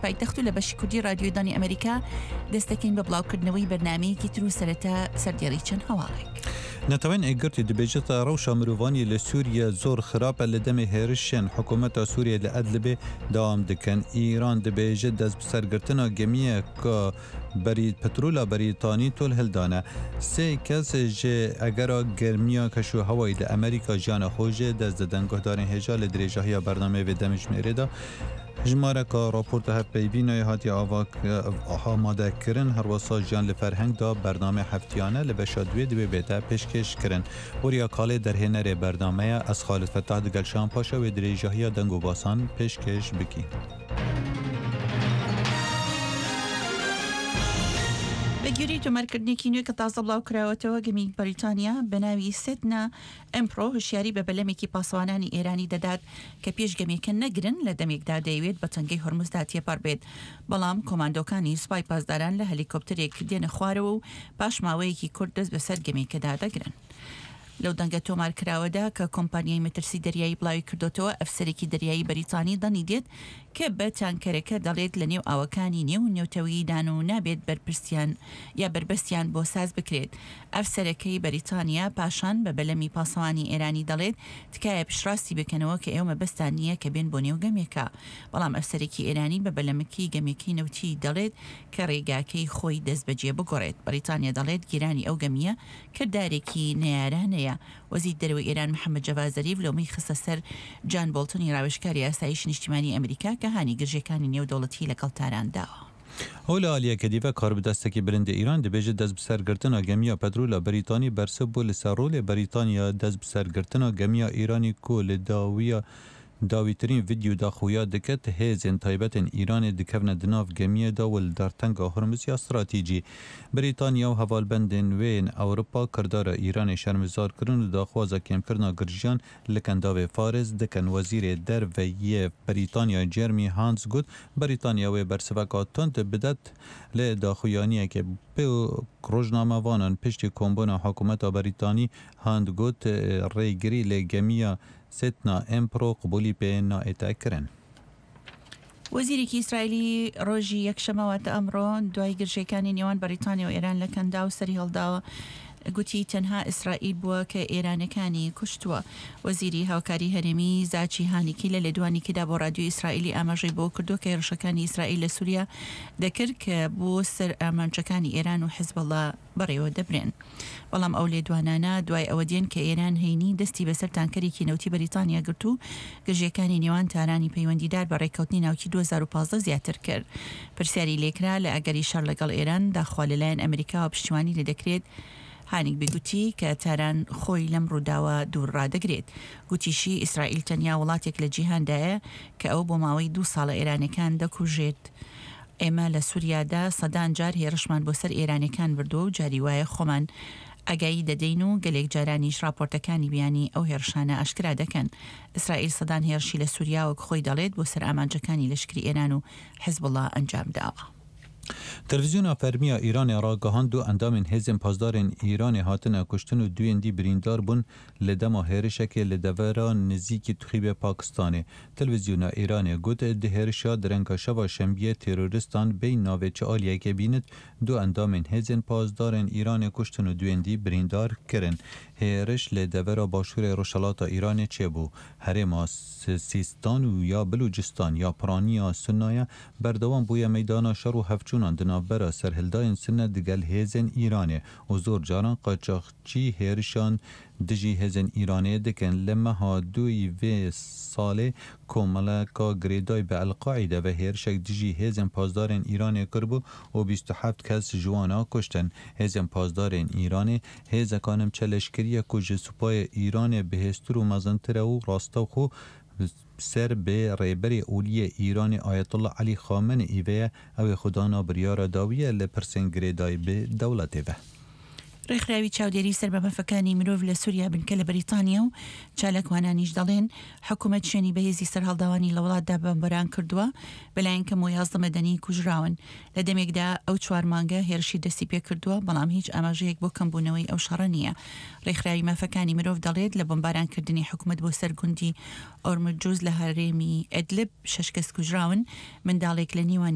پایتەخت و لە بەشی کوردی ڕادیۆی دەنگی ئەمەریکا دەست دەکەین بە بڵاوکردنەوەی بەرنامەیەکی تر و سەرەتا سەردێڕی چەند هەواڵێک. نەتەوەێن یەکگرتوو دبێژێت ڕەوشا مرۆڤانی لە سوریە زۆر خراپە لە دەمێ هێرشێن حکوومەتا سوریە لە ئەدلبێ دەوام دکەن. ئیران دبێژێت دەستبسەرگرتنا گەمیەکا پترولا بەریتانی تۆل هلدانە. سێ کەس ژ ئەگەرا گەرمییا کەشوهەوای لە ئەمریکا ژیانا خۆ ژ دەست ددەن. گوهدارێن هێژا لە درێژاهیا بەرنامەێ ڤێ دەمژمێرێ دا ژمارەکە ڕاپۆرتە هەڤپەیڤینای هاتیە ئامادەکردن، هەروەسا ژیان لە فەرهەنگدا بەرنامەی هەفتیانە لە بەشا دوێ دوێ بێتە پێشکێشکردن. وریا کاڵێ دەرهێنەرێ بەرنامەیە، ئەز خالد فەتاح دگەل شان پاشا وێ درێژاهیا دەنگ و باسان پێشکێش بکین. بەگوێرەی تۆمارکردنێکی نوێ کە تازە بڵاوکراوەتەوە، گەمیی بەریتانیا بەناوی سێتنا ئەمپرۆ هۆشیاری بە بەلەمێکی پاسەوانانی ئێرانی دەدات کە پێش گەمێکە نەگرن لە دەمێکدا دەیەوێت بە تەنگەی هۆرمزدا تێپەڕ بێت، بەڵام کۆماندۆکانی سوپای پاسداران لە هەلیکۆپتەرێک دێنە خوارەوە و پاش ماوەیەکی کورت دەست بەسەر گەمێکەدا دەگرن. لەو دەنگە تۆمارکراوەدا کە کۆمپانیای مەترسی دەریایی بڵاوی کردۆتەوە، ئەفسەرێکی دەریایی بەریتانی دەنگی دێت کە بە تانکەرەکە دەڵێت لە نێو ئاوەکانی نێو نێوتەوییدان و نابێت بەرپرسیان یا بەربەستیان بۆ ساز بکرێت. ئەفسەرەکەی بەریتانیا پاشان بە بەلەمی پاسەوانی ئێرانی دەڵێت تکایە پشتڕاستی بکەنەوە کە ئێوە مەبەستتان نییە کە بێن بۆ نێو گەمێکە. بەڵام ئەفسەرێکی ئێرانی بە بەلەمەکەی گەمێکەی نەوتی دەڵێت کە ڕێگاکەی خۆی دەستبەجێ بگۆڕێت. بەریتانیا دەڵێت گیرانی ئەو گەمییە کردارێکی نەیارانەیە. وەزیر دەرەوەی ئێران محەمەد جەڤاد زەریف لۆمەی خستە سەر جان بۆڵتنی ڕاوێژکاری ئاسایشی نیشتیمانی ئەمریکا کە هانی گرژیەکانی نێودەوڵەتی لەگەڵ تاران داوە. ئەو لە ئالیەکە دیڤە کاربدەستەکی بلندی ئیران دبێژێ دەستبسەرگرتنا گەمییا پەترولا بەریتانی بەرسڤ بوو لە سەر ڕۆلێ بەریتانیا دەستبسەرگرتنا گەمییا ئیرانی کو لە داویا داویترین ڤیدیۆ دا خویا دکت هێزێن تایبەتێن ئیرانێ دکەڤنە دناڤ گەمییێ دا و li دەرتەنگا هورمز یا ستراتیجی بریتانیا و هەڤالبەندێن وێ yên Ewropa kirdara Îranê şermizar kirin û daxwaza kêmkirina girjiyan li Kendavê Faris dikin. Wezîrê Derve yê Brîtanya Jeremy Hunt got, Brîtanya wê bersiveka tund bidet li daxuyaniyekê bi rojnamevanan piştî kombûna hikûmeta Brîtanî Hunt got, rêgirî li gemiya Setna Empro qebûlî pê naête kirin. وەزیرێکی ئیسرائیلی ڕۆژی یەکشەممە واتە ئەمڕۆ دوای گرژییەکانی نێوان بەریتانیا و ئێران لە کەنداو سەریهەڵداوە گوتی تەنها ئیسرائیل بووە کە ئێرانەکانی کوشتووە. وەزیری هاوکاری هەرێمی زاچی هانیکی لە لێدوانێکیدا بۆ ڕادیۆی ئیسرائیلی ئاماژەی بەوە کردووە کە هێرشەکانی ئیسرائیل لە سوریا دەکرد کە بۆ سەر ئامانجەکانی ئێران و حزبوڵا بەڕێوە دەبرێن. بەڵام ئەو لێدوانانە دوای ئەوە دێن کە ئێران هەینی دەستی بەسەر تانکەرێکی نەوتی بەریتانیا گرت و گرژییەکانی نێوان تارانی پەیوەندیدار بە ڕێککەوتنی ناوکی 2015 زیاتر کرد. پرسیاری لێکرا لە ئەگەری شەڕ لەگەڵ ئێران داخوا لەلایەن ئەمریکاوە پشتیوانی لێدەکرێت، هانیگبی گوتی کە تاران خۆی لەم ڕووداوە دوور ڕادەگرێت. گوتیشی ئیسرائیل تەنیا وڵاتێک لە جیهاندایە کە ئەو بۆ ماوەی دوو ساڵە ئێرانیەکان دەکوژێت. ئێمە لە سوریادا سەدان جار هێڕشمان بۆ سەر ئێرانیەکان بردووە و جاری وایە خۆمان ئاگایی دەدەین و گەلێک جارانیش ڕاپۆرتەکانی بیانی ئەو هێڕشانە ئاشکرا دەکەن. ئیسرائیل سەدان هێڕشی لە سوریا وەک خۆی دەڵێت بۆ سەر ئامانجەکانی لەشکری ئێران و حزبوڵا ئەنجام داوە. تلفزیۆنا فەرمییا ئیرانێ ragihand du endamên hêzên pasdarên Îranê hatine kuştin û duyên dî birîndar bûn li dema hêrişekê li devera nizîkî Tixîbê Pakistanê. Televîzyona Îranê got, di hêrişa direnga şeva şembiyê terorîstan bêy navê çi aliyekê bînit, du endamên hêzên pasdarên Îranê kuştin û duyên dî birîndar kirin. Hêriş li devera başûrê rojhilata Îranê çêbû. Herêma Sîstan û ya Bilûcistan ya piraniya Sunna ye, berdewam bûye meydana şer û hevçûnan di navbera serhildayên Sunne digel hêzên Îranê û zor caran qaçaxçî hêrişan dijî hêzên Îranê dikin. Li meha duyî vê salê komeleka girêdayî bi El Qaîde ve hêrişek dijî hêzên pasdarên Îranê kiribû û 27 kes ji wan a kuştin. Hêzên pasdarên Îranê hêzeka nimçe leşkerî ye ku ji supayê Îranê bihêztir û mezintir e û rastewxwe ser bi rêberê olî yê Îranê Ayetullah Elî Xameneî ve ye, ew ê xwedana biryara dawî ye li pirsên girêdayî bi dewletê ve. ڕێکخراوی چاودێری سەر بە مافەکانی مرۆڤ لە سوریا بنکە لە بەریتانیا و چالاکوانانیش دەڵێن حکومەت شوێنی بەهێزی سەرهەڵداوانی لە وڵاتدا بۆمباران کردووە، بەلایەن کەمەوە 11 مەدەنی کوژراون. لە دەمێکدا ئەو چوار مانگە هێرشی دەستی پێکردووە، بەڵام هیچ ئاماژەیەک بۆ کەمبوونەوەی ئەو شەڕە نییە. ڕێکخراوی مافەکانی مرۆڤ دەڵێت لە بۆمبارانکردنی حکومەت بۆ سەر گوندی ئۆرمجوز لە هەرێمی ئەدلب شەش کەس کوژراون، منداڵێک لە نێوانیاندا.